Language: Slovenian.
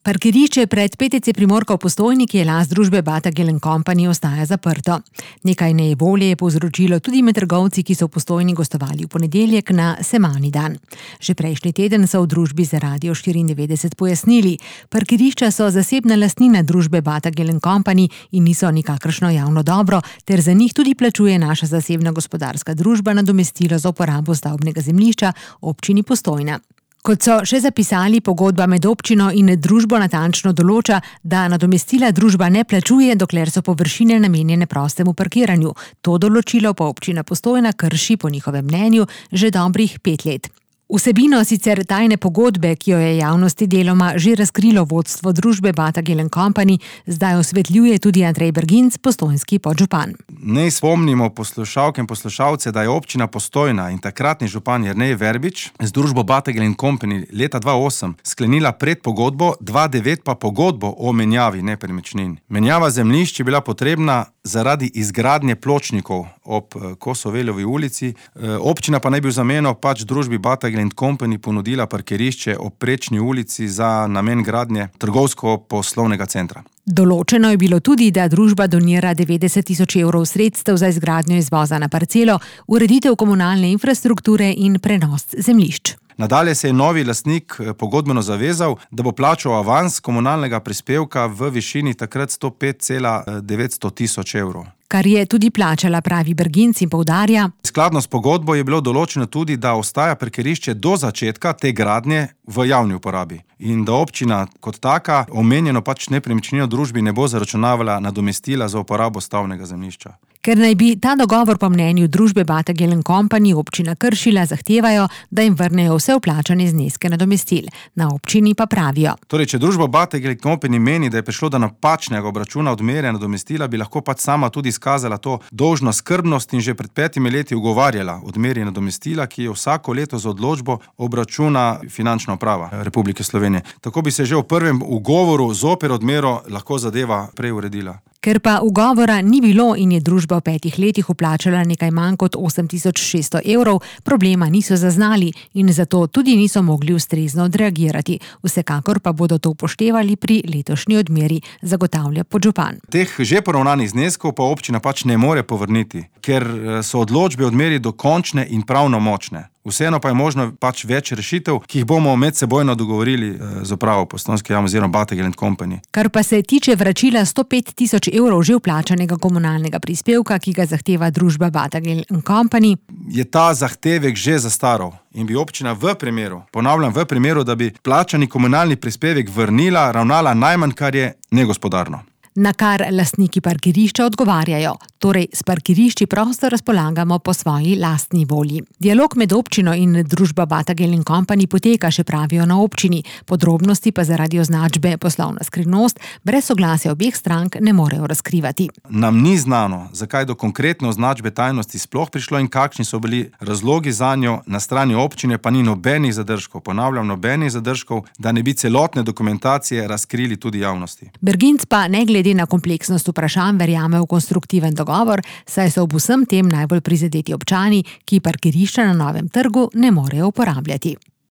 Parkirišče pred PTC Primorka v Postojni, ki je last družbe Batagel & Company, ostaja zaprto. Nekaj nejevolje je povzročilo tudi med trgovci, ki so v Postojni gostovali v ponedeljek na Semani dan. Že prejšnji teden so v družbi za Radio 94 pojasnili, parkirišča so zasebna lastnina družbe Batagel & Company in niso nikakršno javno dobro, ter za njih tudi plačuje naša zasebna gospodarska družba nadomestilo za uporabo stavbnega zemljišča občini Postojna. Kot so še zapisali, pogodba med občino in družbo natančno določa, da nadomestila družba ne plačuje, dokler so površine namenjene prostemu parkiranju. To določilo pa občina Postojna krši po njihovem mnenju že dobrih 5 let. Vsebino sicer tajne pogodbe, ki jo je javnosti deloma že razkrilo vodstvo družbe Batagel & Company, zdaj osvetljuje tudi Andrej Berginc, postojnski podžupan. Naj spomnimo poslušalke in poslušalce, da je občina Postojna in takratni župan Jernej Verbič z družbo Batagel & Company leta 2008 sklenila predpogodbo, 2009 pa pogodbo o menjavi nepremičnin. Menjava zemljišč je bila potrebna zaradi izgradnje pločnikov ob Kosoveljovi ulici. Občina pa naj bi v zameno družbi Batagel & Company ponudila parkirišče ob Prečni ulici za namen gradnje trgovsko-poslovnega centra. Določeno je bilo tudi, da družba donira 90 000 evrov sredstev za izgradnjo izvoza na parcelo, ureditev komunalne infrastrukture in prenos zemljišč. Nadalje se je novi lastnik pogodbeno zavezal, da bo plačal avans komunalnega prispevka v višini takrat 105,900 000 evrov. Kar je tudi plačala, pravi Berginc in poudarja. Skladno s pogodbo je bilo določeno tudi, da ostaja parkirišče do začetka te gradnje v javni uporabi in da občina kot taka omenjeno nepremičnino družbi ne bo zaračunavala nadomestila za uporabo stavbnega zemljišča. Ker naj bi ta dogovor po mnenju družbe Batagel & Company občina kršila, zahtevajo, da jim vrnejo vse vplačane zneske nadomestil. Na občini pa pravijo. Torej, če družba Batagel & Company meni, da je prišlo do napačnega obračuna odmerja nadomestila, bi lahko sama tudi izkazala to dolžno skrbnost in že pred 5 leti ugovarjala odmerje nadomestila, ki je vsako leto z odločbo obračuna Finančna uprava Republike Slovenije. Tako bi se že v prvem ugovoru zoper odmero lahko zadeva prej uredila. Ker pa ugovora ni bilo in je družba v 5 letih vplačala nekaj manj kot 8600 evrov, problema niso zaznali in zato tudi niso mogli ustrezno odreagirati. Vsekakor pa bodo to upoštevali pri letošnji odmeri, zagotavlja podžupan. Teh že poravnanih zneskov pa občina ne more povrniti, ker so odločbe odmeri dokončne in pravnomočne. Vseeno pa je možno več rešitev, ki jih bomo medsebojno dogovorili z upravo Postojnske javnosti oziroma Batagel & Company. Kar pa se tiče vračila 105 000 evrov že vplačanega komunalnega prispevka, ki ga zahteva družba Batagel & Company, je ta zahtevek že zastaral in bi občina v primeru, da bi plačani komunalni prispevek vrnila, ravnala najmanj, kar je negospodarno. Na kar lastniki parkirišča odgovarjajo. Torej, s parkirišči prosto razpolagamo po svoji lastni volji. Dialog med občino in družba Batagel & Company poteka, še pravijo na občini. Podrobnosti pa zaradi označbe poslovna skrivnost brez soglasja obeh strank ne morejo razkrivati. Nam ni znano, zakaj do konkretne označbe tajnosti sploh prišlo in kakšni so bili razlogi zanjo, na strani občine pa ni nobenih zadržkov, nobenih zadržkov, da ne bi celotne dokumentacije razkrili tudi javnosti. Berginc pa ne glede na kompleksnost vprašanj verjame v konstruktiven dogovor, saj so ob vsem tem najbolj prizadeti občani, ki parkirišča na Novem trgu ne morejo uporabljati.